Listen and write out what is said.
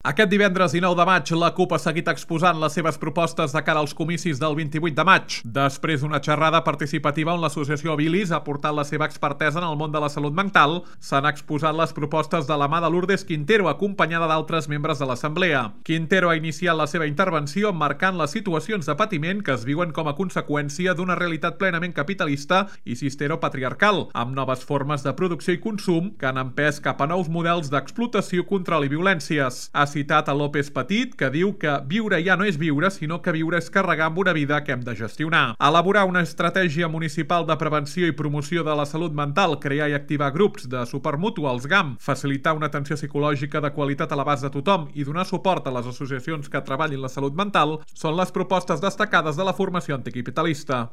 Aquest divendres 19 de maig, la CUP ha seguit exposant les seves propostes de cara als comicis del 28 de maig. Després d'una xerrada participativa on l'associació Bilis ha portat la seva expertesa en el món de la salut mental, s'han exposat les propostes de la mà de Lourdes Quintero, acompanyada d'altres membres de l'Assemblea. Quintero ha iniciat la seva intervenció marcant les situacions de patiment que es viuen com a conseqüència d'una realitat plenament capitalista i cisteropatriarcal, amb noves formes de producció i consum que han empès cap a nous models d'explotació, control i violències. Ha citat a López Petit, que diu que viure ja no és viure, sinó que viure és carregar amb una vida que hem de gestionar. Elaborar una estratègia municipal de prevenció i promoció de la salut mental, crear i activar grups de suport mutu als GAM, facilitar una atenció psicològica de qualitat a l'abast de tothom i donar suport a les associacions que treballin la salut mental són les propostes destacades de la formació anticapitalista.